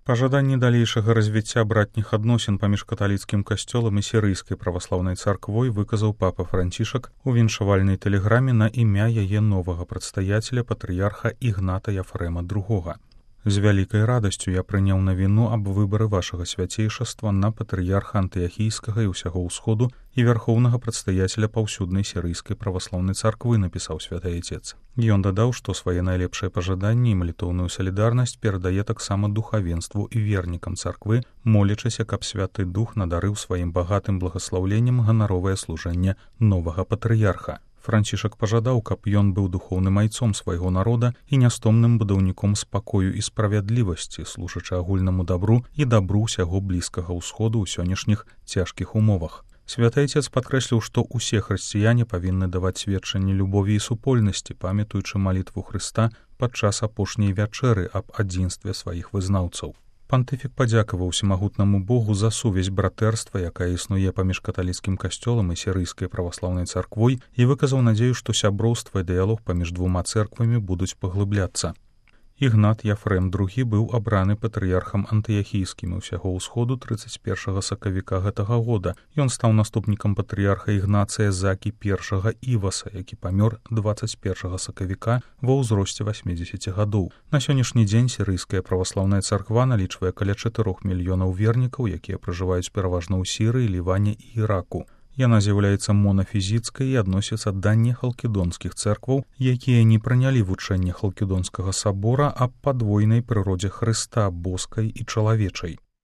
Пажаданне далейшага развіцця братніх адносін паміж каталіцкім касцёлам і сірыйскай праваслаўнай царквой выказаў папа Францішак у віншавальнай тэлеграме на імя яе новага прадстаяцеля патрыярха Ігната Яфрэма II. З вялікай радасцю я прыняў навіну аб выбары вашага свяцейшаства на патрыярха антыяхійскага і ўсяго ўсходу і вярхоўнага прадстаяцеля паўсюднай сірыйскай праваслаўнай царквы, напісаў святы айцец. Ён дадаў, што свае найлепшыя пажаданні і малітоўную салідарнасць перадае таксама духавенству і вернікам царквы, молячыся, каб святы дух надарыў сваім багатым благаслаўленнем ганаровае служэнне новага патрыярха. Францішак пажадаў, каб ён быў духоўным айцом свайго народа і нястомным будаўніком спакою і справядлівасці, служачы агульнаму дабру і дабру ўсяго блізкага ўсходу ў сённяшніх цяжкіх умовах. Святы айцец падкрэсліў, што ўсе хрысціяне павінны даваць сведчанне любові і супольнасці, памятаючы малітву Хрыста падчас апошняй вячэры аб адзінстве сваіх вызнаўцаў. Пантыфік падзякаваў усімагутнаму Богу за сувязь братэрства, якая існуе паміж каталіцкім касцёлам і сірыйскай праваслаўнай царквой, і выказаў надзею, што сяброўства і дыялог паміж двума цэрквамі будуць паглыбляцца. Ігнат Яфрэм II быў абраны патрыярхам антыяхійскім і ўсяго ўсходу 31 сакавіка гэтага года. Ён стаў наступнікам патрыярха Ігнацыя Закі I Іваса, які памёр 21 сакавіка ва ўзросце 80 гадоў. На сённяшні дзень сірыйская праваслаўная царква налічвае каля 4 мільёнаў вернікаў, якія пражываюць пераважна ў Сірыі, Ліване і Іраку. Яна з'яўляецца монафізіцкай і адносіцца да нехалкідонскіх цэркваў, якія не прынялі вучэнне халкідонскага сабора аб падвойнай прыродзе Хрыста, боскай і чалавечай.